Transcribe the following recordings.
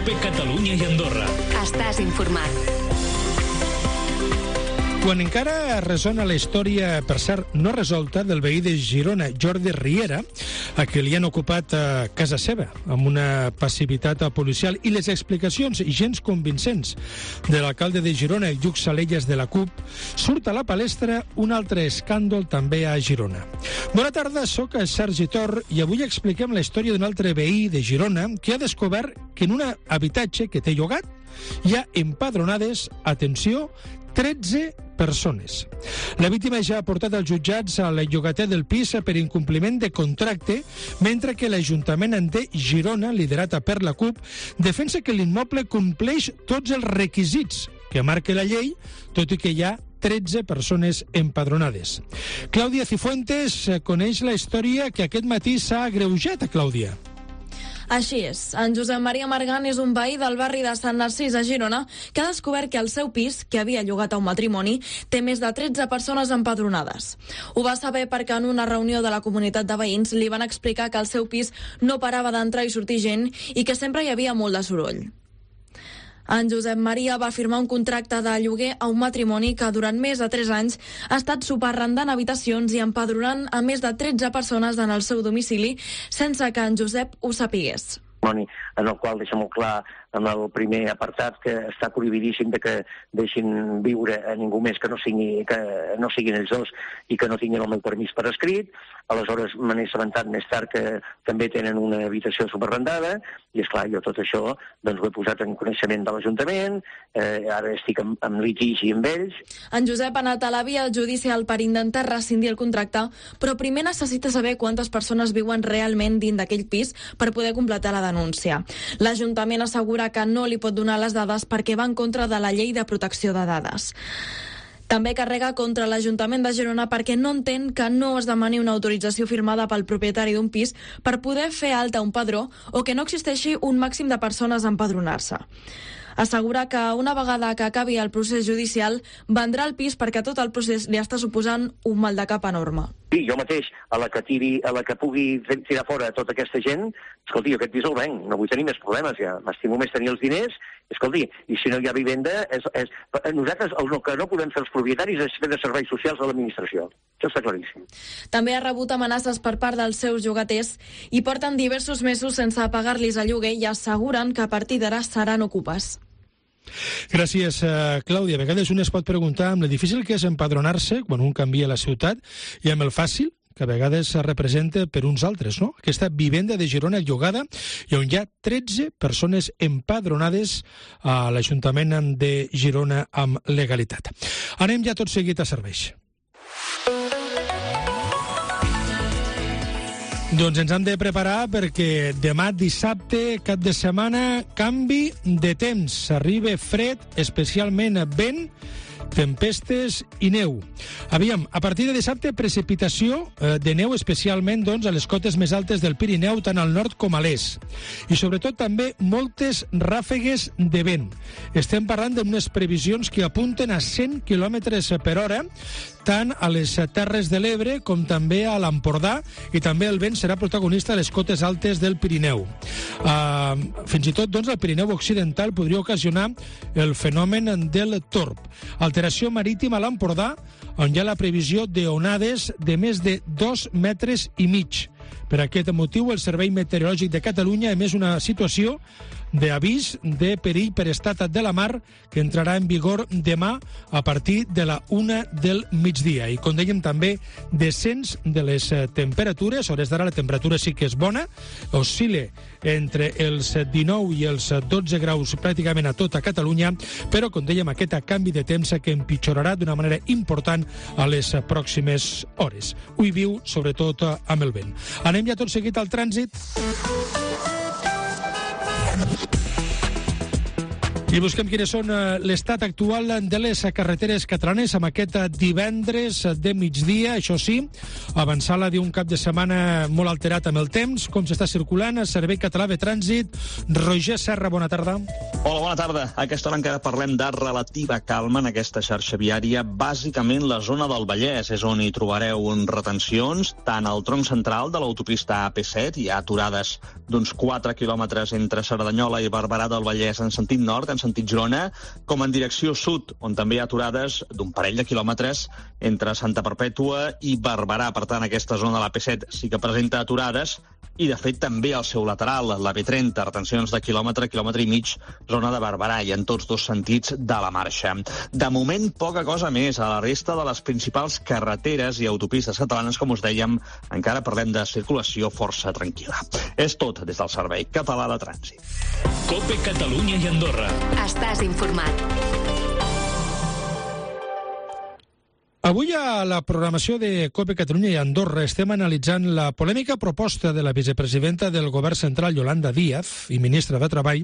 COPE Catalunya i Andorra. Estàs informat. Quan encara ressona la història, per cert, no resolta, del veí de Girona, Jordi Riera, a qui li han ocupat casa seva, amb una passivitat policial, i les explicacions gens convincents de l'alcalde de Girona, Lluc Salellas, de la CUP, surt a la palestra un altre escàndol també a Girona. Bona tarda, soc Sergi Tor i avui expliquem la història d'un altre veí de Girona que ha descobert que en un habitatge que té llogat hi ha empadronades, atenció, 13 persones. La víctima ja ha portat als jutjats al llogater del pis per incompliment de contracte, mentre que l'Ajuntament de Girona, liderat per la CUP, defensa que l'immoble compleix tots els requisits que marca la llei, tot i que hi ha 13 persones empadronades. Clàudia Cifuentes coneix la història que aquest matí s'ha agreujat a Clàudia. Així és. En Josep Maria Margan és un veí del barri de Sant Narcís a Girona que ha descobert que el seu pis, que havia llogat a un matrimoni, té més de 13 persones empadronades. Ho va saber perquè en una reunió de la comunitat de veïns li van explicar que al seu pis no parava d'entrar i sortir gent i que sempre hi havia molt de soroll. En Josep Maria va firmar un contracte de lloguer a un matrimoni que durant més de 3 anys ha estat subarrendant habitacions i empadronant a més de 13 persones en el seu domicili sense que en Josep ho sapigués. En el qual deixa molt clar en el primer apartat que està prohibidíssim de que deixin viure a ningú més que no siguin ells dos i que no tinguin el meu permís per escrit. Aleshores me n'he assabentat més tard que també tenen una habitació subarrendada i, esclar, jo tot això doncs, ho he posat en coneixement de l'Ajuntament, ara estic en litigi amb ells. En Josep ha anat a la via judicial per intentar rescindir el contracte, però primer necessita saber quantes persones viuen realment dins d'aquell pis per poder completar la denúncia. L'Ajuntament assegura que no li pot donar les dades perquè va en contra de la llei de protecció de dades. També carrega contra l'Ajuntament de Girona perquè no entén que no es demani una autorització firmada pel propietari d'un pis per poder fer alta un padró o que no existeixi un màxim de persones a empadronar-se. Assegura que una vegada que acabi el procés judicial vendrà el pis perquè tot el procés li està suposant un mal de cap enorme. Sí, jo mateix, a la que pugui tirar fora tota aquesta gent, escolti, jo aquest pis el venc, no vull tenir més problemes ja, m'estimo més tenir els diners, escolti, i si no hi ha vivenda, nosaltres el que no podem fer els propietaris és fer de serveis socials a l'administració. Això està claríssim. També ha rebut amenaces per part dels seus llogaters i porten diversos mesos sense pagar-los el lloguer i asseguren que a partir d'ara seran ocupes. Gràcies, Clàudia. A vegades un es pot preguntar amb el difícil que és empadronar-se quan un canvia la ciutat i amb el fàcil que a vegades es representa per uns altres, no? Aquesta vivenda de Girona llogada i on hi ha 13 persones empadronades a l'Ajuntament de Girona amb legalitat. Anem ja tot seguit a serveis. Doncs ens hem de preparar perquè demà dissabte, cap de setmana, canvi de temps. Arriba fred, especialment vent, tempestes i neu. Aviam, a partir de dissabte, precipitació de neu, especialment doncs, a les cotes més altes del Pirineu, tant al nord com a l'est. I sobretot també moltes ràfegues de vent. Estem parlant d'unes previsions que apunten a 100 km per hora, tant a les Terres de l'Ebre com també a l'Empordà, i també el vent serà protagonista a les cotes altes del Pirineu. Fins i tot, doncs, el Pirineu occidental podria ocasionar el fenomen del torb. Alteració marítima a l'Empordà, on hi ha la previsió d'onades de més de 2,5 metres. Per aquest motiu, el Servei Meteorològic de Catalunya ha emès una situació d'avís de perill per estat de la mar que entrarà en vigor demà a partir de la 1 del migdia. I com dèiem també, descens de les temperatures. A hores d'ara la temperatura sí que és bona, oscil·la entre els 19 i els 12 graus pràcticament a tota Catalunya, però com dèiem, aquest canvi de temps que empitjorarà d'una manera important a les pròximes hores. Ho hi viu sobretot amb el vent. Anem ja tot seguit al trànsit. I busquem quines són l'estat actual de les carreteres catalanes amb aquest divendres de migdia. Això sí, avançar-la d'un cap de setmana molt alterat amb el temps. Com s'està circulant el Servei Català de Trànsit. Roger Serra, bona tarda. Hola, bona tarda. A aquesta hora encara parlem de relativa calma en aquesta xarxa viària. Bàsicament la zona del Vallès és on hi trobareu retencions, tant al tronc central de l'autopista AP7, hi ha aturades d'uns 4 quilòmetres entre Cerdanyola i Barberà del Vallès en sentit nord, en sentit Girona, com en direcció sud, on també hi ha aturades d'un parell de quilòmetres entre Santa Perpètua i Barberà. Per tant, aquesta zona de l'AP7 sí que presenta aturades i, de fet, també al seu lateral, la B30, retencions de quilòmetre i mig, zona de Barberà, i en tots dos sentits de la marxa. De moment, poca cosa més. A la resta de les principals carreteres i autopistes catalanes, com us dèiem, encara parlem de circulació força tranquil·la. És tot des del Servei Català de Trànsit. COPE Catalunya i Andorra. Estàs informat. Avui a la programació de COPE Catalunya i Andorra estem analitzant la polèmica proposta de la vicepresidenta del Govern Central, Yolanda Díaz, i ministra de Treball,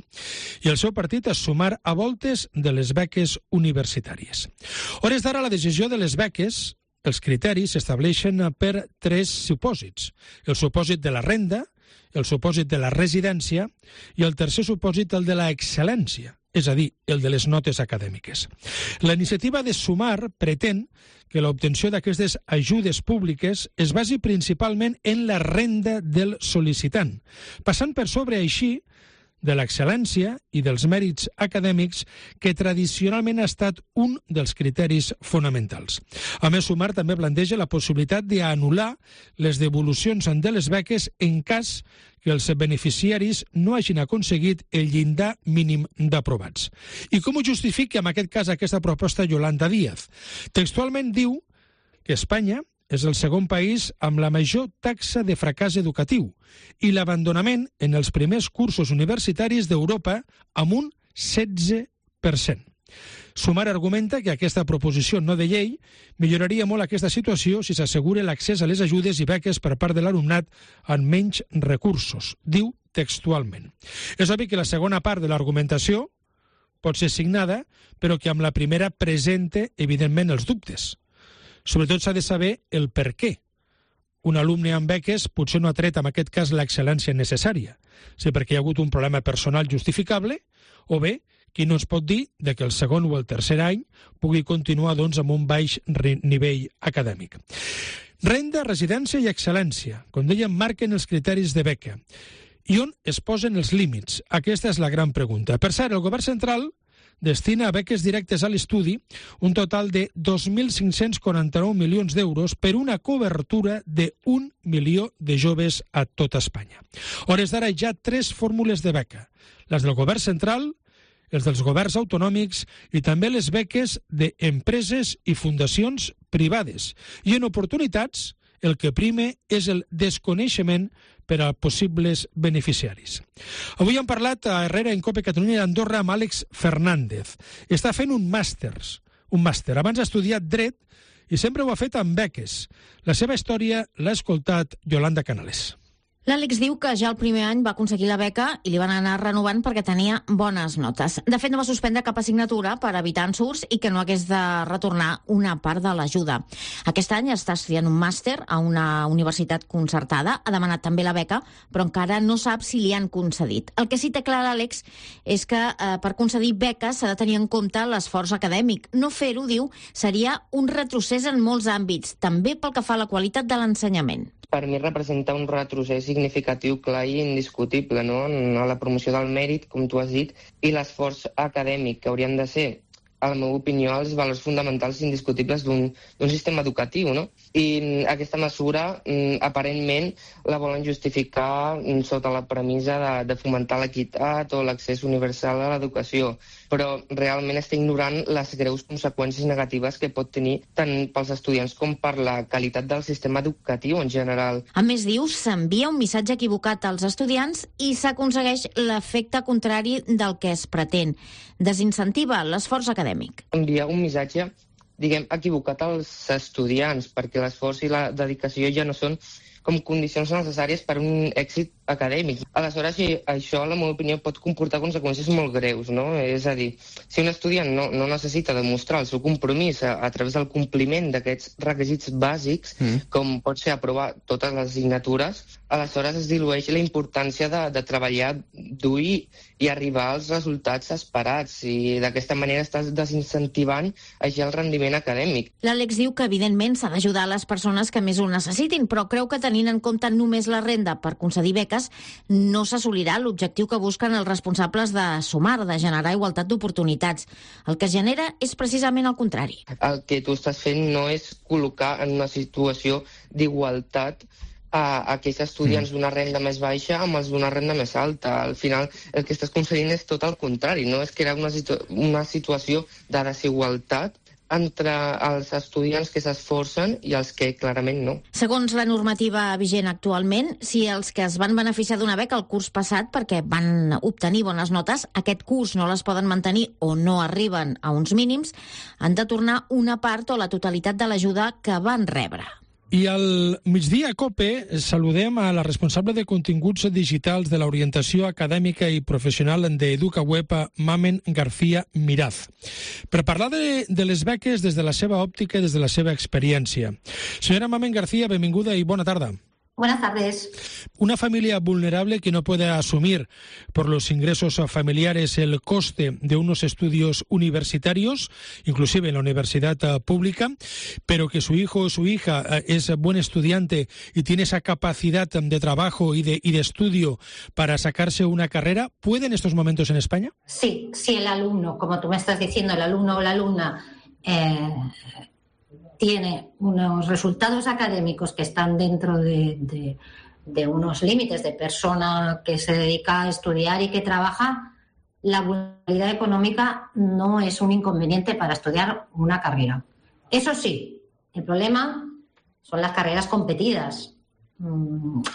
i el seu partit a sumar a voltes de les beques universitàries. A hores d'ara, la decisió de les beques, els criteris s'estableixen per 3 supòsits. El supòsit de la renda, el supòsit de la residència i el tercer supòsit, el de la excel·lència, és a dir, el de les notes acadèmiques. La iniciativa de Sumar pretén que l'obtenció d'aquestes ajudes públiques es basi principalment en la renda del sol·licitant, passant per sobre així de l'excel·lència i dels mèrits acadèmics, que tradicionalment ha estat un dels criteris fonamentals. A més, Sumar també planteja la possibilitat d'anul·lar les devolucions de les beques en cas que els beneficiaris no hagin aconseguit el llindar mínim d'aprovats. I com ho justifica en aquest cas aquesta proposta Yolanda Díaz? Textualment diu que Espanya és el segon país amb la major taxa de fracàs educatiu i l'abandonament en els primers cursos universitaris d'Europa amb un 16%. Sumar argumenta que aquesta proposició no de llei milloraria molt aquesta situació si s'assegura l'accés a les ajudes i beques per part de l'alumnat amb menys recursos, diu textualment. És obvi que la segona part de l'argumentació pot ser signada, però que amb la primera presenta, evidentment, els dubtes. Sobretot s'ha de saber el per què. Un alumne amb beques potser no ha tret, en aquest cas, l'excel·lència necessària, si perquè hi ha hagut un problema personal justificable, o bé, qui no es pot dir que el segon o el tercer any pugui continuar amb un baix nivell acadèmic. Renda, residència i excel·lència, com dèiem, marquen els criteris de beca. I on es posen els límits? Aquesta és la gran pregunta. Per cert, el Govern Central destina a beques directes a l'estudi un total de 2.549 milions d'euros per una cobertura de 1 milió de joves a tot Espanya. A hores d'ara hi ha 3 fórmules de beca, les del Govern Central, els dels governs autonòmics i també les beques d'empreses i fundacions privades. I en oportunitats, el que prime és el desconeixement per a possibles beneficiaris. Avui hem parlat a Herrera en COPE Catalunya i Andorra amb Àlex Fernández. Està fent un màster. Abans ha estudiat dret i sempre ho ha fet amb beques. La seva història l'ha escoltat Yolanda Canales. L'Àlex diu que ja el primer any va aconseguir la beca i li van anar renovant perquè tenia bones notes. De fet, no va suspendre cap assignatura per evitar ensurts i que no hagués de retornar una part de l'ajuda. Aquest any està estudiant un màster a una universitat concertada, ha demanat també la beca, però encara no sap si li han concedit. El que sí té clar l'Àlex és que per concedir beques s'ha de tenir en compte l'esforç acadèmic. No fer-ho, diu, seria un retrocés en molts àmbits, també pel que fa a la qualitat de l'ensenyament. Per mi representa un retrocés significatiu, clar i indiscutible, no? A la promoció del mèrit, com tu has dit, i l'esforç acadèmic, que haurien de ser, a la meva opinió, els valors fonamentals indiscutibles d'un sistema educatiu, no? I aquesta mesura, aparentment, la volen justificar sota la premissa de fomentar l'equitat o l'accés universal a l'educació, però realment està ignorant les greus conseqüències negatives que pot tenir tant pels estudiants com per la qualitat del sistema educatiu en general. A més, diu, s'envia un missatge equivocat als estudiants i s'aconsegueix l'efecte contrari del que es pretén. Desincentiva l'esforç acadèmic. Enviar un missatge, diguem, equivocat als estudiants, perquè l'esforç i la dedicació ja no són com condicions necessàries per un èxit acadèmic. Aleshores, això, en la meva opinió, pot comportar conseqüències molt greus, no? És a dir, si un estudiant no necessita demostrar el seu compromís a través del compliment d'aquests requisits bàsics, com pot ser aprovar totes les assignatures, aleshores es dilueix la importància de treballar dur i arribar als resultats esperats, i d'aquesta manera estàs desincentivant així el rendiment acadèmic. L'Àlex diu que, evidentment, s'ha d'ajudar a les persones que més ho necessitin, però creu que tenint en compte només la renda per concedir beques, no s'assolirà l'objectiu que busquen els responsables de Sumar, de generar igualtat d'oportunitats. El que es genera és precisament el contrari. El que tu estàs fent no és col·locar en una situació d'igualtat a aquells estudiants d'una renda més baixa amb els d'una renda més alta. Al final, el que estàs concedint és tot el contrari, no? És crear una situació de desigualtat entre els estudiants que s'esforcen i els que clarament no. Segons la normativa vigent actualment, si els que es van beneficiar d'una beca el curs passat perquè van obtenir bones notes, aquest curs no les poden mantenir o no arriben a uns mínims, han de tornar una part o la totalitat de l'ajuda que van rebre. I al migdia a COPE saludem a la responsable de continguts digitals de l'orientació acadèmica i professional d'EducaWeb, Mamen García Miraz, per parlar de les beques des de la seva òptica i des de la seva experiència. Senyora Mamen García, benvinguda i bona tarda. Buenas tardes. Una familia vulnerable que no puede asumir por los ingresos familiares el coste de unos estudios universitarios, inclusive en la universidad pública, pero que su hijo o su hija es buen estudiante y tiene esa capacidad de trabajo y de estudio para sacarse una carrera, ¿puede en estos momentos en España? Sí, si el alumno, como tú me estás diciendo, el alumno o la alumna tiene unos resultados académicos que están dentro de unos límites de persona que se dedica a estudiar y que trabaja, la vulnerabilidad económica no es un inconveniente para estudiar una carrera. Eso sí, el problema son las carreras competidas.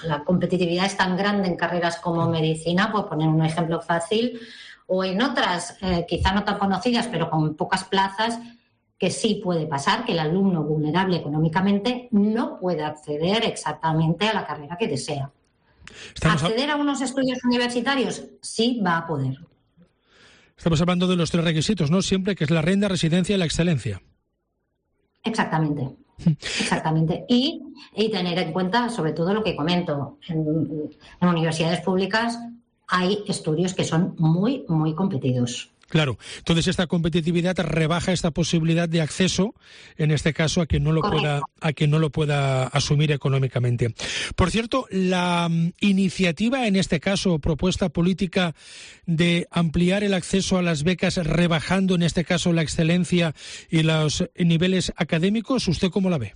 La competitividad es tan grande en carreras como medicina, por poner un ejemplo fácil, o en otras, quizá no tan conocidas, pero con pocas plazas, que sí puede pasar que el alumno vulnerable económicamente no pueda acceder exactamente a la carrera que desea. ¿Acceder a unos estudios universitarios? Sí, va a poder. Estamos hablando de los 3 requisitos, ¿no? Siempre, que es la renta, residencia y la excelencia. Exactamente. Exactamente. Y tener en cuenta, sobre todo, lo que comento. En universidades públicas hay estudios que son muy, muy competidos. Claro, entonces esta competitividad rebaja esta posibilidad de acceso, en este caso, a quien no lo pueda asumir económicamente. Por cierto, la iniciativa, en este caso, propuesta política de ampliar el acceso a las becas, rebajando, en este caso, la excelencia y los niveles académicos, ¿usted cómo la ve?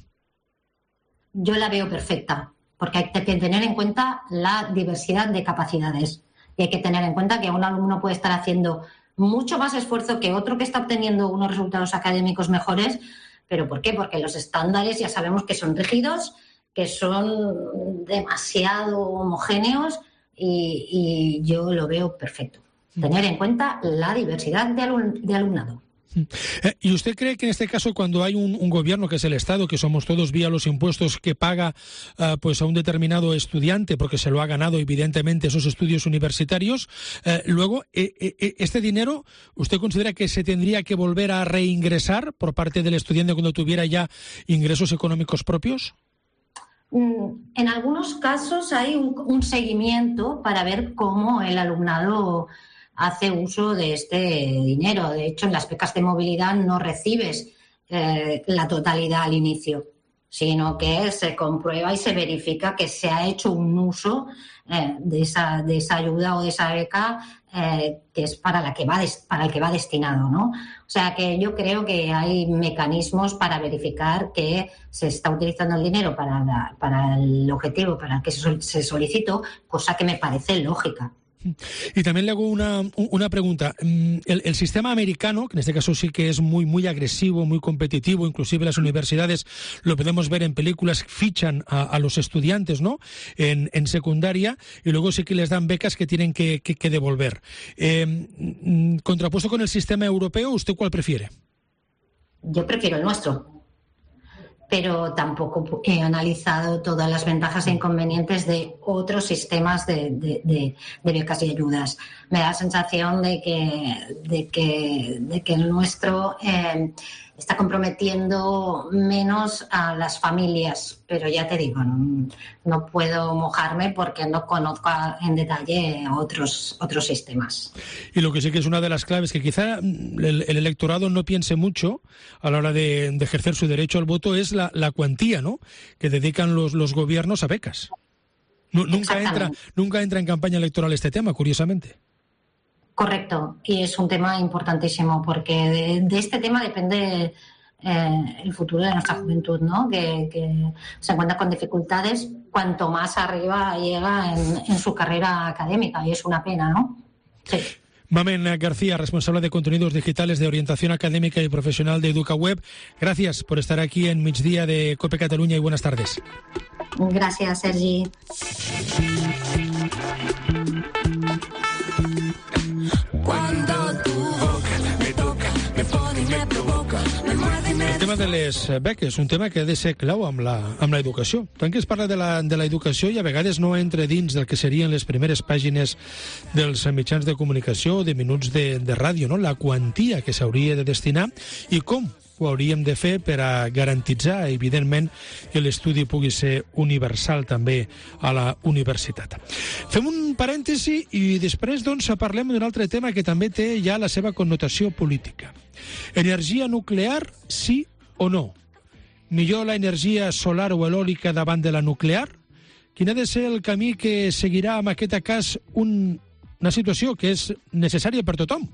Yo la veo perfecta, porque hay que tener en cuenta la diversidad de capacidades. Y hay que tener en cuenta que un alumno puede estar haciendo mucho más esfuerzo que otro que está obteniendo unos resultados académicos mejores. ¿Pero por qué? Porque los estándares ya sabemos que son rígidos, que son demasiado homogéneos y yo lo veo perfecto. Tener en cuenta la diversidad de alumnado. ¿Y usted cree que en este caso, cuando hay un gobierno, que es el Estado, que somos todos vía los impuestos, que paga pues a un determinado estudiante porque se lo ha ganado evidentemente esos estudios universitarios, luego este dinero, ¿usted considera que se tendría que volver a reingresar por parte del estudiante cuando tuviera ya ingresos económicos propios? En algunos casos hay un seguimiento para ver cómo el alumnado hace uso de este dinero. De hecho, en las becas de movilidad no recibes la totalidad al inicio, sino que se comprueba y se verifica que se ha hecho un uso de esa ayuda o de esa beca que es para el que va destinado, ¿no? O sea que yo creo que hay mecanismos para verificar que se está utilizando el dinero para el objetivo para el que se solicitó, cosa que me parece lógica. Y también le hago una pregunta. El sistema americano, que en este caso sí que es muy, muy agresivo, muy competitivo, inclusive las universidades, lo podemos ver en películas, fichan a los estudiantes, ¿no?, en secundaria, y luego sí que les dan becas que tienen que devolver. Contrapuesto con el sistema europeo, ¿usted cuál prefiere? Yo prefiero el nuestro. pero tampoco he analizado todas las ventajas e inconvenientes de otros sistemas de becas y ayudas. Me da la sensación de que el nuestro está comprometiendo menos a las familias, pero ya te digo, no puedo mojarme porque no conozco en detalle otros sistemas. Y lo que sí que es una de las claves, que quizá el electorado no piense mucho a la hora de ejercer su derecho al voto, es la cuantía, ¿no?, que dedican los gobiernos a becas. Nunca entra en campaña electoral este tema, curiosamente. Correcto, y es un tema importantísimo porque de este tema depende el futuro de nuestra juventud, ¿no? Que se encuentra con dificultades cuanto más arriba llega en su carrera académica, y es una pena, ¿no? Sí. Mamen García, responsable de contenidos digitales de orientación académica y profesional de EducaWeb, gracias por estar aquí en Migdia de COPE Cataluña y buenas tardes. Gracias, Sergi. El tema de les beques, un tema que ha de ser clau amb la educació. Tant que es parla de la educació i a vegades no entra dins del que serien les primeres pàgines dels mitjans de comunicació o de minuts de ràdio, no? La quantia que s'hauria de destinar i com ho hauríem de fer per a garantitzar, evidentment, que l'estudi pugui ser universal també a la universitat. Fem un parèntesi i després doncs parlem d'un altre tema que també té ja la seva connotació política. Energia nuclear, sí o no? Millor la energia solar o eòlica davant de la nuclear? Quin ha de ser el camí que seguirà en aquest cas una situació que és necessària per tothom,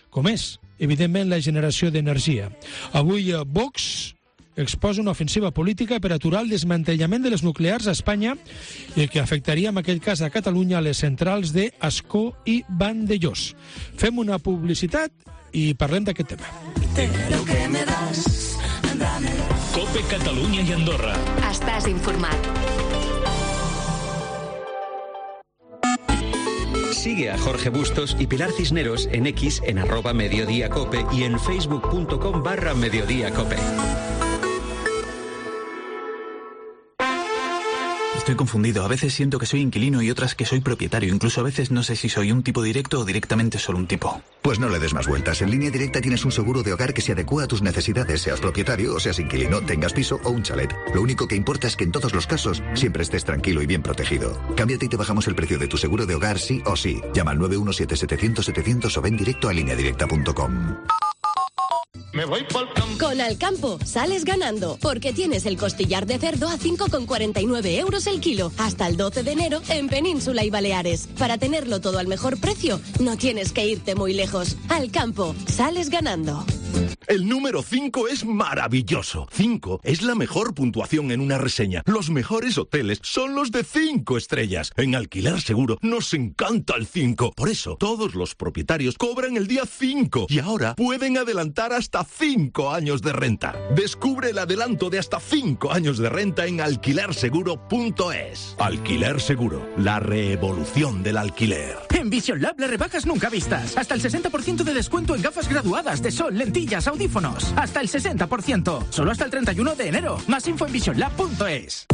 com és, evidentment, la generació d'energia? Avui Vox exposa una ofensiva política per aturar el desmantellament de les nuclears a Espanya i que afectaria, en aquest cas, a Catalunya, les centrals d'Ascó i Vandellós. Fem una publicitat i parlem d'aquest tema. COPE Catalunya i Andorra. Estàs informat. Sigue a Jorge Bustos y Pilar Cisneros en X en @mediodíacope y en facebook.com/mediodíacope. Estoy confundido. A veces siento que soy inquilino y otras que soy propietario. Incluso a veces no sé si soy un tipo directo o directamente solo un tipo. Pues no le des más vueltas. En Línea Directa tienes un seguro de hogar que se adecua a tus necesidades, seas propietario o seas inquilino, tengas piso o un chalet. Lo único que importa es que en todos los casos siempre estés tranquilo y bien protegido. Cámbiate y te bajamos el precio de tu seguro de hogar sí o sí. Llama al 917-700-700 o ven directo a lineadirecta.com. Me voy pa'l campo. Con Alcampo sales ganando, porque tienes el costillar de cerdo a 5,49 € el kilo, hasta el 12 de enero en Península y Baleares. Para tenerlo todo al mejor precio, no tienes que irte muy lejos. Alcampo, sales ganando. El número 5 es maravilloso. 5 es la mejor puntuación en una reseña. Los mejores hoteles son los de 5 estrellas. En Alquiler Seguro nos encanta el 5. Por eso, todos los propietarios cobran el día 5 y ahora pueden adelantar hasta 5 años de renta. Descubre el adelanto de hasta 5 años de renta en alquilerseguro.es. Alquiler Seguro, la revolución del alquiler. En Vision Lab las rebajas nunca vistas. Hasta el 60% de descuento en gafas graduadas de sol, lentillas, audífonos. Hasta el 60%. Solo hasta el 31 de enero. Más info en visionlab.es.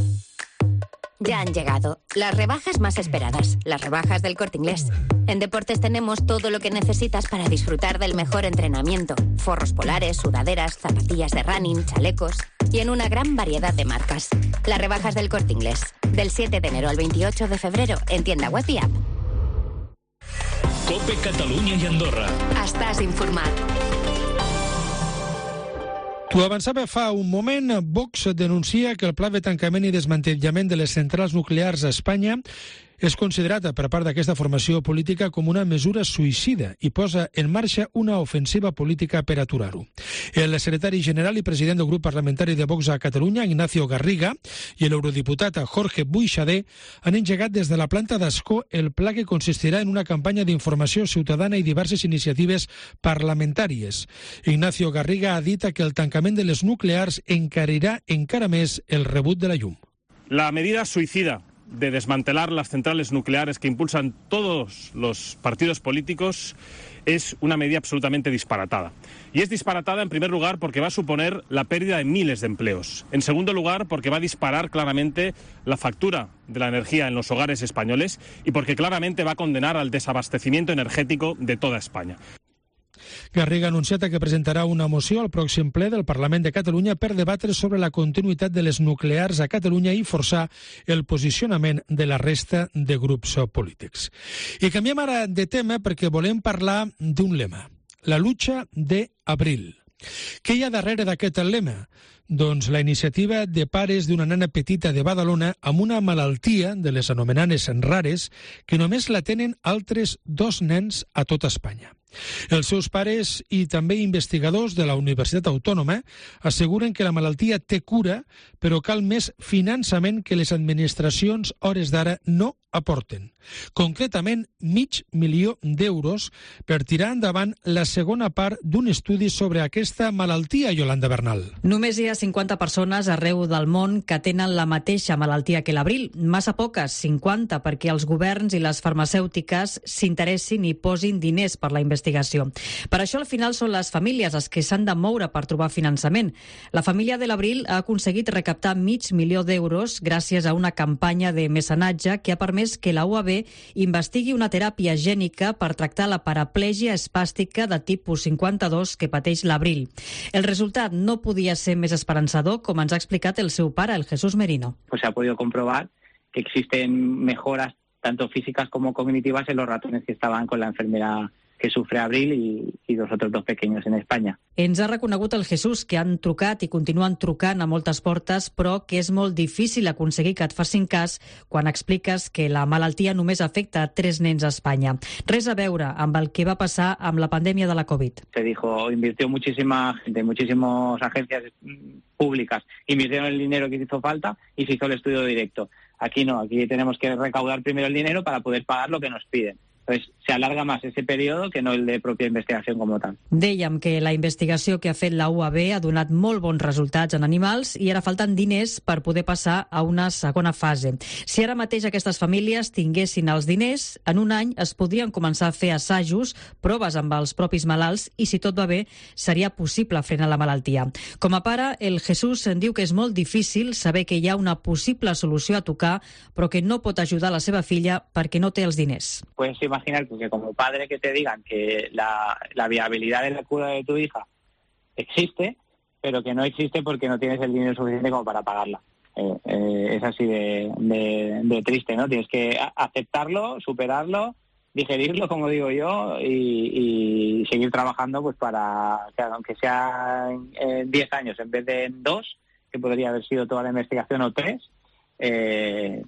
Ya han llegado las rebajas más esperadas, las rebajas del Corte Inglés. En deportes tenemos todo lo que necesitas para disfrutar del mejor entrenamiento. Forros polares, sudaderas, zapatillas de running, chalecos y en una gran variedad de marcas. Las rebajas del Corte Inglés. Del 7 de enero al 28 de febrero en tienda web y app. COPE Catalunya i Andorra. Estàs informat. T'ho avançava fa un moment, Vox denuncia que el pla de tancament i desmantellament de les centrals nuclears a Espanya és considerat per part d'aquesta formació política com una mesura suïcida i posa en marxa una ofensiva política per aturar-ho. El secretari general i president del grup parlamentari de Vox a Catalunya, Ignacio Garriga, i l'eurodiputat Jorge Buixader han engegat des de la planta d'Ascó el pla que consistirà en una campanya d'informació ciutadana i diverses iniciatives parlamentàries. Ignacio Garriga ha dit que el tancament de les nuclears encarirà encara més el rebut de la llum. La medida suicida de desmantelar las centrales nucleares que impulsan todos los partidos políticos es una medida absolutamente disparatada. Y es disparatada, en primer lugar, porque va a suponer la pérdida de miles de empleos. En segundo lugar, porque va a disparar claramente la factura de la energía en los hogares españoles y porque claramente va a condenar al desabastecimiento energético de toda España. Garriga ha anunciat que presentarà una moció al pròxim ple del Parlament de Catalunya per debatre sobre la continuïtat de les nuclears a Catalunya i forçar el posicionament de la resta de grups polítics. I canviem ara de tema perquè volem parlar d'un lema, la lucha de abril. Què hi ha darrere d'aquest lema? Doncs la iniciativa de pares d'una nena petita de Badalona amb una malaltia de les anomenades rares que només la tenen altres 2 nens a tota Espanya. Els seus pares i també investigadors de la Universitat Autònoma asseguren que la malaltia té cura, però cal més finançament que les administracions hores d'ara no aporten. Concretament, $500.000 d'euros per tirar endavant la segona part d'un estudi sobre aquesta malaltia, Yolanda Bernal. Només hi ha 50 persones arreu del món que tenen la mateixa malaltia que l'abril. Massa poques, 50, perquè els governs i les farmacèutiques s'interessin i posin diners per la investigació. Per això, al final, són les famílies les que s'han de moure per trobar finançament. La família de l'abril ha aconseguit recaptar $500.000 d'euros gràcies a una campanya de mecenatge que ha permès que la UAB investigui una teràpia gènica per tractar la paraplegia espàstica de tipus 52 que pateix l'abril. El resultat no podia ser més esperançador, com ens ha explicat el seu pare, el Jesús Merino. Pues se ha podido comprobar que existen mejoras tanto físicas como cognitivas en los ratones que estaban con la enfermedad que sufre Abril y los otros 2 pequeños en España. Ens ha reconegut el Jesús que han trucat i continuen trucant a moltes portes, però que és molt difícil aconseguir que et facin cas quan expliques que la malaltia només afecta a 3 nens a Espanya. Res a veure amb el que va passar amb la pandèmia de la Covid. Se dijo, invirtió muchísima gente, muchísimas agencias públicas, invirtieron el dinero que hizo falta y se hizo el estudio directo. Aquí no, aquí tenemos que recaudar primero el dinero para poder pagar lo que nos piden. Pues se alarga más ese periodo que no el de propia investigació com tal. Dèiem que la investigació que ha fet la UAB ha donat molt bons resultats en animals i ara falten diners per poder passar a una segona fase. Si ara mateix aquestes famílies tinguessin els diners, en un any es podrien començar a fer assajos, proves amb els propis malalts i, si tot va bé, seria possible frenar la malaltia. Com a pare, el Jesús en diu que és molt difícil saber que hi ha una possible solució a tocar, però que no pot ajudar la seva filla perquè no té els diners. Pues imaginar que como padre que te digan que la viabilidad de la cura de tu hija existe, pero que no existe porque no tienes el dinero suficiente como para pagarla. Es así de triste, ¿no? Tienes que aceptarlo, superarlo, digerirlo, como digo yo, y seguir trabajando pues para que, aunque sea en 10 años en vez de en 2, que podría haber sido toda la investigación, o 3,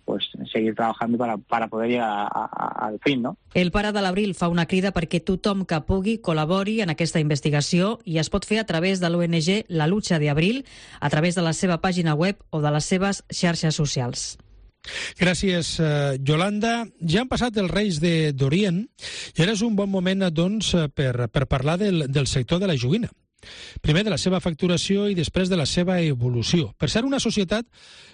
pues seguir trabajando para poder llegar al fin, no? El pare de l'Abril fa una crida perquè tothom que pugui col·labori en aquesta investigació i es pot fer a través de l'ONG La Lucha de Abril, a través de la seva pàgina web o de les seves xarxes socials. Gràcies, Yolanda. Ja han passat els Reis d'Orient i ara és un bon moment, doncs, per parlar del sector de la joguina. Primer de la seva facturació i després de la seva evolució. Per ser una societat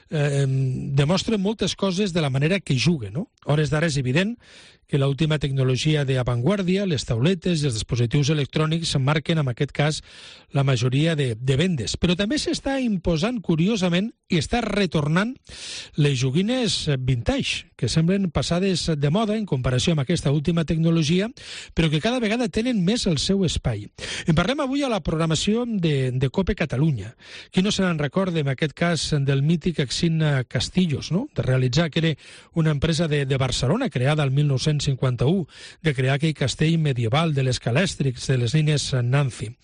demostra moltes coses de la manera que juga, no? A hores d'ara és evident que l'última tecnologia d'avantguàrdia, les tauletes i els dispositius electrònics marquen, en aquest cas, la majoria de vendes. Però també s'està imposant, curiosament, i està retornant les joguines vintage, que semblen passades de moda en comparació amb aquesta última tecnologia, però que cada vegada tenen més el seu espai. En parlem avui a la programació de COPE Catalunya. Qui no se n'en recorda, en aquest cas, del mític Exin Castillos, no? De realitzar, que era una empresa de Barcelona, creada al 1951, de crear aquell castell medieval de les Calèstrics, de les nines Nancy.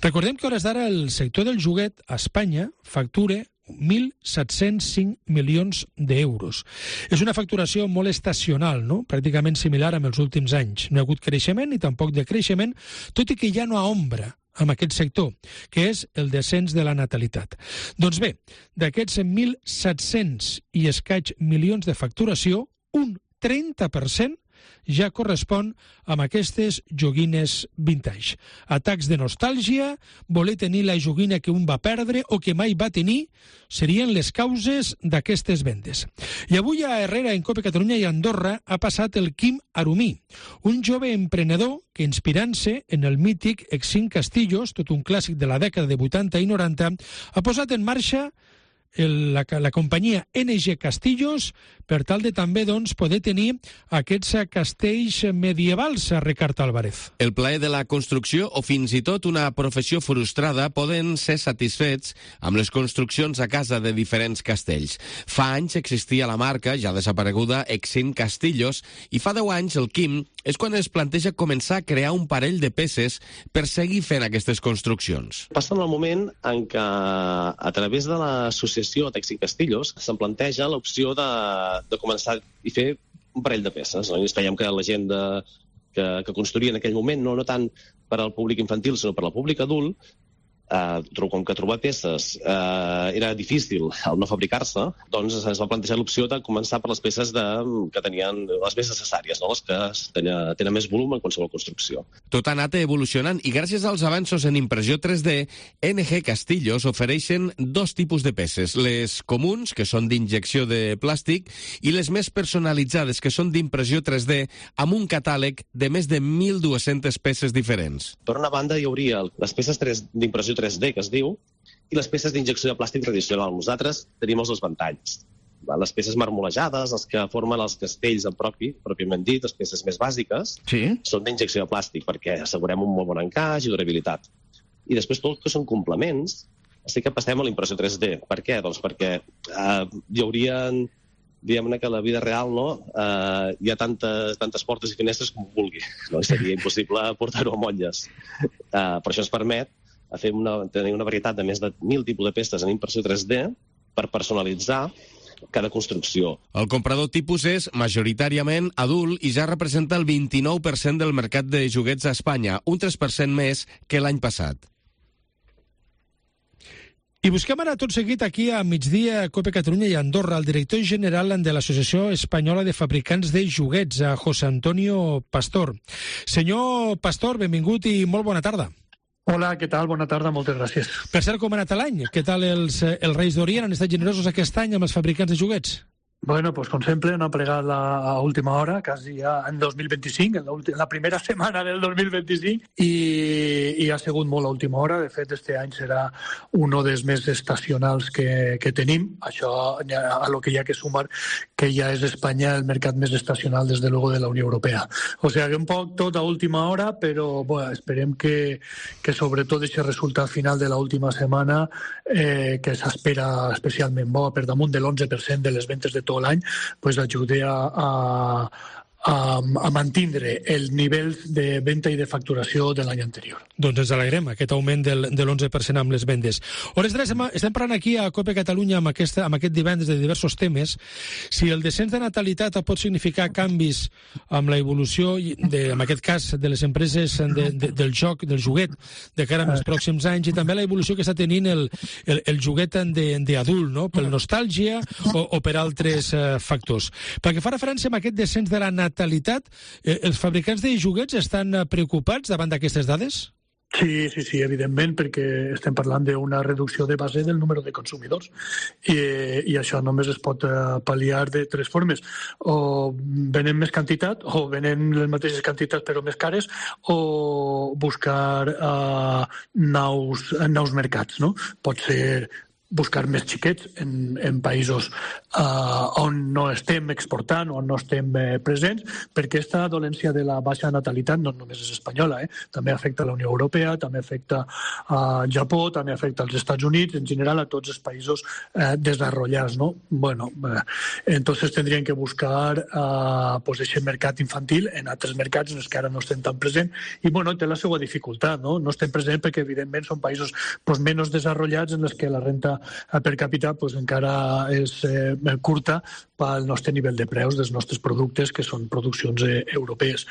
Recordem que a hores d'ara el sector del joguet a Espanya factura 1.705 milions d'euros. És una facturació molt estacional, no? Pràcticament similar amb els últims anys. No hi ha hagut creixement ni tampoc decreixement, tot i que ja no hi ha ombra amb aquest sector, que és el descens de la natalitat. Doncs bé, d'aquests 1.700 i escaig milions de facturació, un 30% ja correspon amb aquestes joguines vintage. Atacs de nostàlgia, voler tenir la joguina que un va perdre o que mai va tenir, serien les causes d'aquestes vendes. I avui a Herrera, en Cope Catalunya i Andorra, ha passat el Quim Arumí, un jove emprenedor que, inspirant-se en el mític Exim Castillos, tot un clàssic de la dècada de 80 i 90, ha posat en marxa la companyia NG Castillos per tal de també poder tenir aquests castells medievals, Ricard Álvarez. El plaer de la construcció o fins i tot una professió frustrada poden ser satisfets amb les construccions a casa de diferents castells. Fa anys existia la marca, ja desapareguda, Exim Castillos, i fa 10 anys el Quim és quan es planteja començar a crear un parell de peces per seguir fent aquestes construccions. Passa en el moment en què, a través de l'associació Exim Castillos, se'n planteja l'opció de començar i fer un parell de peces. No? I ens veiem que la gent que construïa en aquell moment, no tant per al públic infantil, sinó per al públic adult, com que trobar peces era difícil al no fabricar-se, doncs ens va plantejar l'opció de començar per les peces que tenien les més necessàries, no? Les que tenen més volum en qualsevol construcció. Tot ha anat evolucionant i gràcies als avanços en impressió 3D, NG Castillos ofereixen dos tipus de peces, les comuns, que són d'injecció de plàstic, i les més personalitzades, que són d'impressió 3D, amb un catàleg de més de 1.200 peces diferents. Per una banda hi hauria les peces d'impressió 3D, que es diu, i les peces d'injecció de plàstic tradicional. Nosaltres tenim els dos ventalls. Les peces marmolejades, els que formen els castells pròpiament dit, les peces més bàsiques, són d'injecció de plàstic, perquè assegurem un molt bon encaix i durabilitat. I després tot el que són complements, sí que passem a la impressió 3D. Per què? Doncs perquè hi haurien, diguem-ne que a la vida real hi ha tantes portes i finestres com vulgui. Seria impossible portar-ho a motlles. Per això ens permet tenir una varietat de més de 1.000 tipus de peces en impressió 3D per personalitzar cada construcció. El comprador tipus és majoritàriament adult i ja representa el 29% del mercat de joguets a Espanya, un 3% més que l'any passat. I busquem ara tot seguit aquí a migdia Cope Catalunya i Andorra el director general de l'Associació Espanyola de Fabricants de Joguets, a José Antonio Pastor. Senyor Pastor, benvingut i molt bona tarda. Hola, què tal? Bona tarda, moltes gràcies. Per cert, com ha anat l'any? Què tal els Reis d'Orient? Han estat generosos aquest any amb els fabricants de joguets? Bueno, pues com sempre han plegat a última hora, quasi ja en 2025, en la primera setmana del 2025, i ha sigut molt a última hora. De fet, este any serà un dels més estacionals que tenim. Això a lo que hi ha que sumar que ja és Espanya el mercat més estacional, des de luego, de la Unió Europea. O sigui, un poc tot a última hora, però bueno, esperem que sobretot aquest resultat final de l'última setmana, que s'espera especialment bo, per damunt de l'11% de les ventes de tot l'any, pues ajude a mantindre el nivell de venda i de facturació de l'any anterior. Doncs ens alegrem, aquest augment de l'11% amb les vendes. Hores d'ara, estem parlant aquí a Cope Catalunya amb aquest divendres de diversos temes. Si el descens de natalitat pot significar canvis amb la evolució, en aquest cas, de les empreses del joc, del joguet, de cara als pròxims anys, i també la evolució que està tenint el joguet d'adult, no? Per nostàlgia o per altres factors. Perquè fa referència a aquest descens de la natalitat, els fabricants de joguets estan preocupats davant d'aquestes dades? Sí, evidentment, perquè estem parlant d'una reducció de base del número de consumidors i això només es pot pal·liar de tres formes. O venen més quantitat, o venen les mateixes quantitats però més cares, o buscar nous mercats, no? Pot ser buscar més xiquets en països on no estem exportant o on no estem presents, perquè aquesta dolència de la baixa natalitat no només és espanyola, també afecta a la Unió Europea, també afecta a Japó, també afecta als Estats Units, en general a tots els països desarrollats, ¿no? Bueno, entonces tendrían que buscar pues ese mercat infantil en altres mercats en els que ara no estem tan presents, i bueno, té la seva dificultat, no? No estem presents perquè evidentment són països pues, menys desarrollats en els que la renta per càpita pues, encara és curta pel nostre nivell de preus dels nostres productes, que són produccions europees.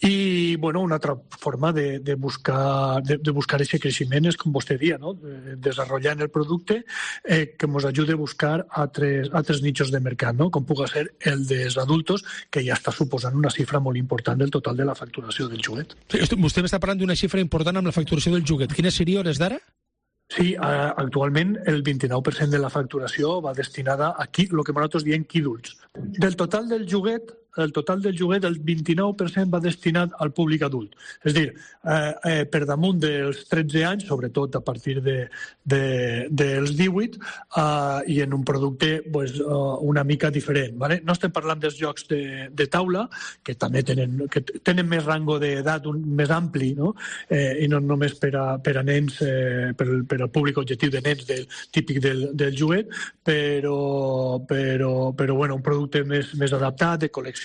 I una altra forma de buscar aquest creixement és, com vostè dia, no? Desenvolupant el producte que ens ajudi a buscar altres nichos de mercat, no? Com pugui ser el dels adultos, que ja està suposant una xifra molt important del total de la facturació del joguet. Vostè m'està parlant d'una xifra important amb la facturació del joguet. Quina seria hores d'ara? Sí, actualment el 29% de la facturació va destinada a el que nosaltres diem quíduls. Del total del joguet, el 29% va destinat al públic adult. És a dir, per damunt dels 13 anys, sobretot a partir dels 18, i en un producte una mica diferent. No estem parlant dels jocs de taula, que també tenen més rango d'edat més ampli, i no només per a nens, per al públic objectiu de nens típic del joguet, però un producte més adaptat, de col·leccionable,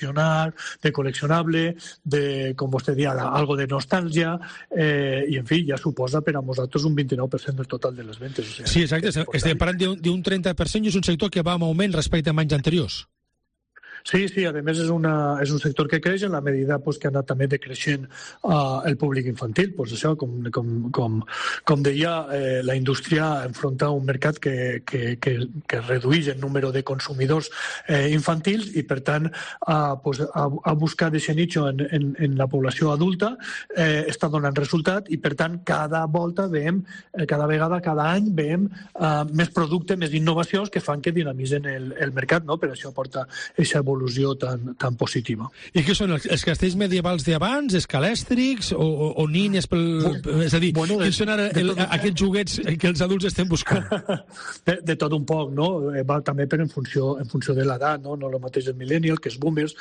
com vostè dia, algo de nostàlgia, i en fi, ja suposa per a nosaltres un 29% del total de les ventes. Sí, exacte, estem parlant d'un 30% i és un sector que va en augment respecte a anys anteriors. Sí, a més és un sector que creix en la medida que ha anat també decreixent el públic infantil. Això, com deia, la indústria enfronta un mercat que redueix el número de consumidors infantils i, per tant, a buscar aquest nicho en la població adulta està donant resultat i, per tant, cada any veiem més producte, més innovacions que fan que dinamitzen el mercat, no? Per això porta aquesta evolució tan positiva. I què són, els castells medievals d'abans, escalèstrics o nines? És a dir, quins són ara aquests joguets que els adults estem buscant? De tot un poc, no? Va també en funció de l'edat, no el mateix el millennial, que és boomers.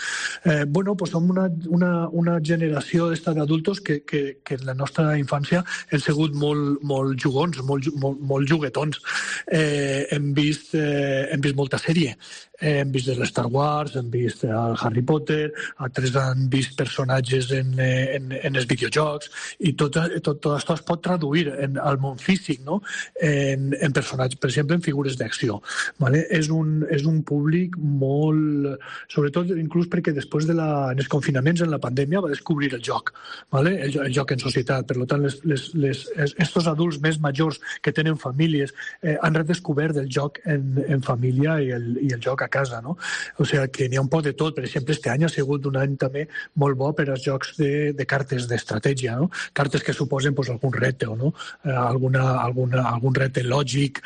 Som una generació d'adultos que en la nostra infància hem sigut molt jugons, molt juguetons. Hem vist molta sèrie. Hem vist de Star Wars, hem vist el Harry Potter, altres han vist personatges en els videojocs, i tot això es pot traduir al món físic, no? En personatges, per exemple, en figures d'acció. És un públic molt... Sobretot, inclús perquè després en els confinaments, en la pandèmia, va descobrir el joc, el joc en societat. Per tant, estos adults més majors que tenen famílies han redescobert el joc en família i el joc a casa, no? O sigui que n'hi ha un poc de tot. Per exemple, este any ha sigut un any també molt bo per als jocs de cartes d'estratègia, no? Cartes que suposen algun repte, no? Algun repte lògic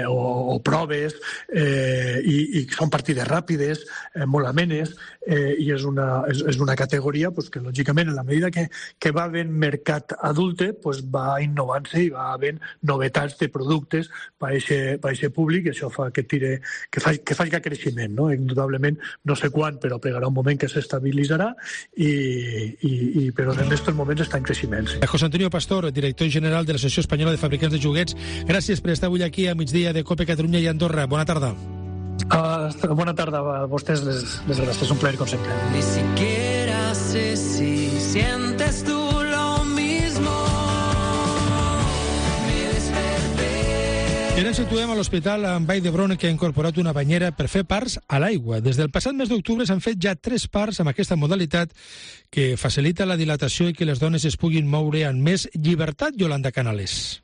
o proves, i són partides ràpides, molt amenes, i és una categoria que, lògicament, en la medida que va havent mercat adulte, va innovant-se i va havent novetats de productes per a aquest públic, i això fa que faci creixement, no? Indudablement, no sé quan, però pegarà un moment que s'estabilitzarà, però en aquests moments està en creixement. Sí. José Antonio Pastor, director general de l'Associació Espanyola de Fabricants de Joguets, gràcies per estar avui aquí a migdia de COPE Catalunya i Andorra. Bona tarda. Bona tarda a vostès, les gràcies, un plaer com sempre. Ni siquiera sé si sientes tú lo mismo. I ara ens situem a l'Hospital Vall d'Hebron, que ha incorporat una banyera per fer parts a l'aigua. Des del passat mes d'octubre s'han fet ja 3 parts amb aquesta modalitat que facilita la dilatació i que les dones es puguin moure amb més llibertat. Yolanda Canales.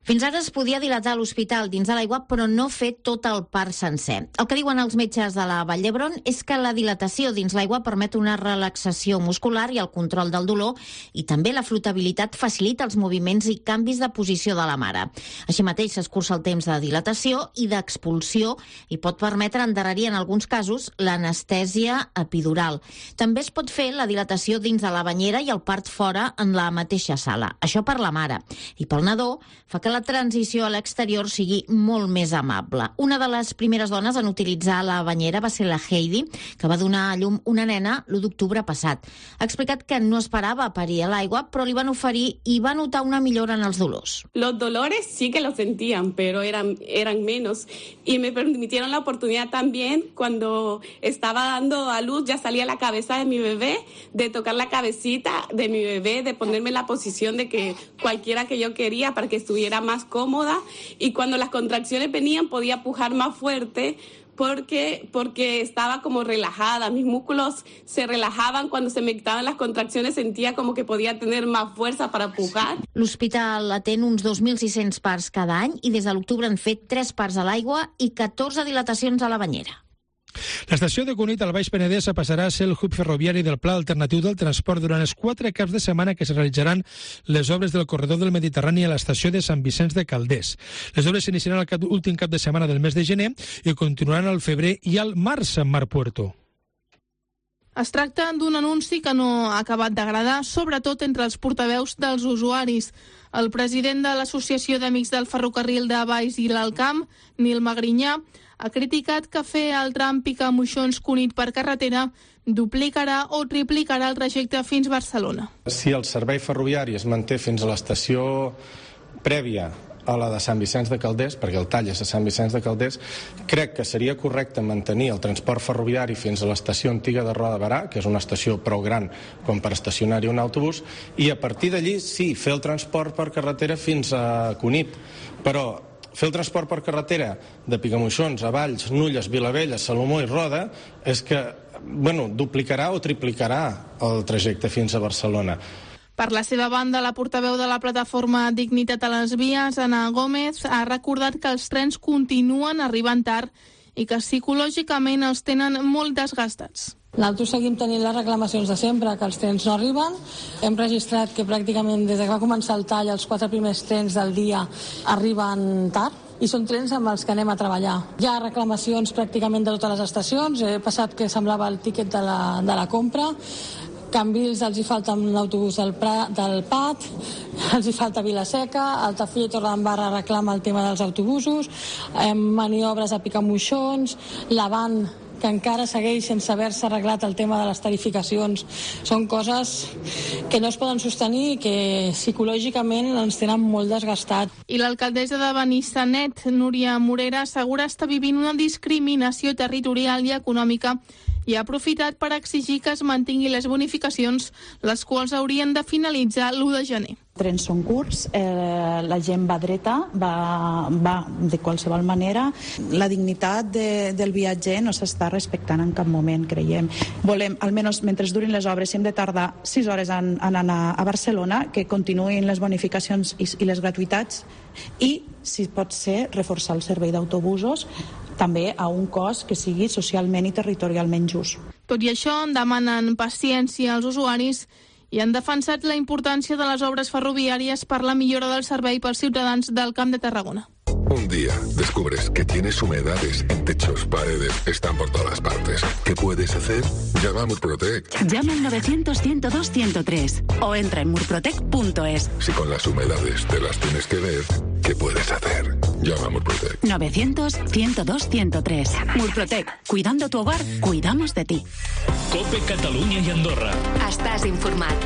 Fins ara es podia dilatar l'hospital dins de l'aigua, però no fer tot el part sencer. El que diuen els metges de la Vall d'Hebron és que la dilatació dins l'aigua permet una relaxació muscular i el control del dolor, i també la flotabilitat facilita els moviments i canvis de posició de la mare. Així mateix s'escurça el temps de dilatació i d'expulsió i pot permetre endarrerir en alguns casos l'anestèsia epidural. També es pot fer la dilatació dins de la banyera i el part fora en la mateixa sala. Això per la mare. I pel nadó fa que la transició a l'exterior sigui molt més amable. Una de les primeres dones en utilitzar la banyera va ser la Heidi, que va donar a llum una nena l'1 d'octubre passat. Ha explicat que no esperava parir a l'aigua, però li van oferir i va notar una millora en els dolors. Los dolores sí que los sentían, pero eran menos. Y me permitieron la oportunidad también, cuando estaba dando a luz, ya salía la cabeza de mi bebé, de tocar la cabecita de mi bebé, de ponerme en la posición de que cualquiera que yo quería para que estuviera más cómoda y cuando las contracciones venían podía pujar más fuerte porque estaba como relajada. Mis músculos se relajaven cuando se me quitaven les contracciones, sentia com que podia tenir més força per pujar. L'hospital atén uns 2.600 parts cada any i des de l'octubre han fet 3 parts a l'aigua i 14 dilatacions a la banyera. L'estació de Cunit al Baix Penedès passarà a ser el hub ferroviari del Pla Alternatiu del Transport durant els 4 caps de setmana que es realitzaran les obres del corredor del Mediterrani a l'estació de Sant Vicenç de Calders. Les obres s'iniciaran l'últim cap de setmana del mes de gener i continuaran al febrer i al març en Mar Puerto. Es tracta d'un anunci que no ha acabat d'agradar, sobretot entre els portaveus dels usuaris. El president de l'Associació d'Amics del Ferrocarril de Valls i l'Alt Camp, Nil Magrinyà, ha criticat que fer el tram Picamoixons-Cunit per carretera duplicarà o triplicarà el trajecte fins Barcelona. Si el servei ferroviari es manté fins a l'estació prèvia a la de Sant Vicenç de Calders, perquè el tall és a Sant Vicenç de Calders, crec que seria correcte mantenir el transport ferroviari fins a l'estació antiga de Roda de Berà, que és una estació prou gran com per estacionar-hi un autobús, i a partir d'allí sí, fer el transport per carretera fins a Cunit. Però fer el transport per carretera de Picamoixons a Valls, Nulles, Vilavella, Salomó i Roda és que, duplicarà o triplicarà el trajecte fins a Barcelona. Per la seva banda, la portaveu de la plataforma Dignitat a les Vies, Ana Gómez, ha recordat que els trens continuen arribant tard i que psicològicament els tenen molt desgastats. Nosaltres seguim tenint les reclamacions de sempre, que els trens no arriben. Hem registrat que pràcticament des que va començar el tall els 4 primers trens del dia arriben tard i són trens amb els que anem a treballar. Hi ha reclamacions pràcticament de totes les estacions. He passat que semblava el tíquet de la compra. Cambrils els hi falta un autobús del PAT, els hi falta Vilaseca, Altafulla i Torredembarra reclama el tema dels autobusos, maniobres a Picamoixons, l'Avant que encara segueix sense haver-se arreglat el tema de les tarificacions. Són coses que no es poden sostenir i que psicològicament ens tenen molt desgastat. I l'alcaldessa de Benissanet, Núria Morera, assegura estar vivint una discriminació territorial i econòmica i ha aprofitat per exigir que es mantinguin les bonificacions, les quals haurien de finalitzar l'1 de gener. Trens són curts, la gent va dreta, va de qualsevol manera. La dignitat del viatger no s'està respectant en cap moment, creiem. Volem, almenys mentre durin les obres, si hem de tardar 6 hores en anar a Barcelona, que continuïn les bonificacions i les gratuïtats i, si pot ser, reforçar el servei d'autobusos també a un cost que sigui socialment i territorialment just. Tot i això, demanen paciència als usuaris i han defensat la importància de les obres ferroviàries per la millora del servei pels ciutadans del Camp de Tarragona. Un día descubres que tienes humedades en techos, paredes, están por todas partes. ¿Qué puedes hacer? Llama a Murprotec. Llama al 900-102-103 o entra en murprotec.es. Si con las humedades te las tienes que ver, ¿qué puedes hacer? Llama a Murprotec. 900-102-103. Murprotec. Cuidando tu hogar, cuidamos de ti. COPE Catalunya i Andorra. Estàs informat.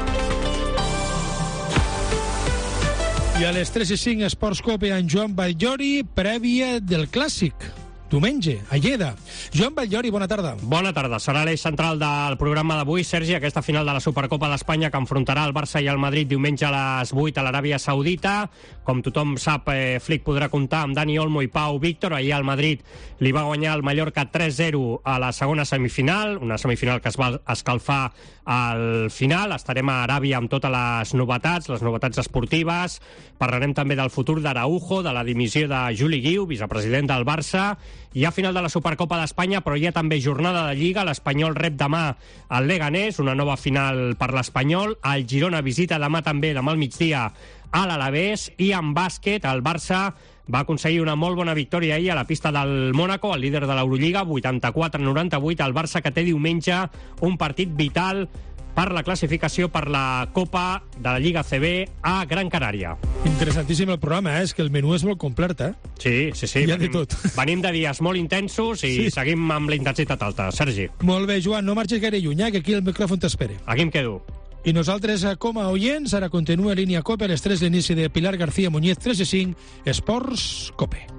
I a les 3:05 Esports Cope en Joan Batllori, prèvia del Clàssic. Diumenge, a Lleida. Joan Batllori, bona tarda. Bona tarda. Serà l'eix central del programa d'avui, Sergi, aquesta final de la Supercopa d'Espanya que enfrontarà el Barça i el Madrid diumenge a les 8 a l'Aràbia Saudita. Com tothom sap, Flick podrà comptar amb Dani Olmo i Pau Víctor. Ahir el Madrid li va guanyar el Mallorca 3-0 a la segona semifinal, una semifinal que es va escalfar al final. Estarem a Aràbia amb totes les novetats esportives. Parlarem també del futur d'Araujo, de la dimissió de Juli Guiu, vicepresident del Barça. Hi ha final de la Supercopa d'Espanya, però hi ha també jornada de Lliga. L'Espanyol rep demà el Leganés, una nova final per l'Espanyol. El Girona visita demà al migdia a l'Alavés. I en bàsquet, el Barça va aconseguir una molt bona victòria ahir a la pista del Mónaco, el líder de l'Eurolliga, 84-98. El Barça que té diumenge un partit vital per la classificació per la Copa de la Lliga CB a Gran Canària. Interessantíssim el programa, és que el menú és molt complet, Sí. Hi ha de tot. Venim de dies molt intensos i seguim amb la intensitat alta. Sergi. Molt bé, Joan, no marxis gaire lluny, que aquí el micròfon t'espera. Aquí em quedo. I nosaltres, com a oients, ara continua Línia Cope a les 3 l'inici de Pilar García Muñiz, 3:05, Esports Cope.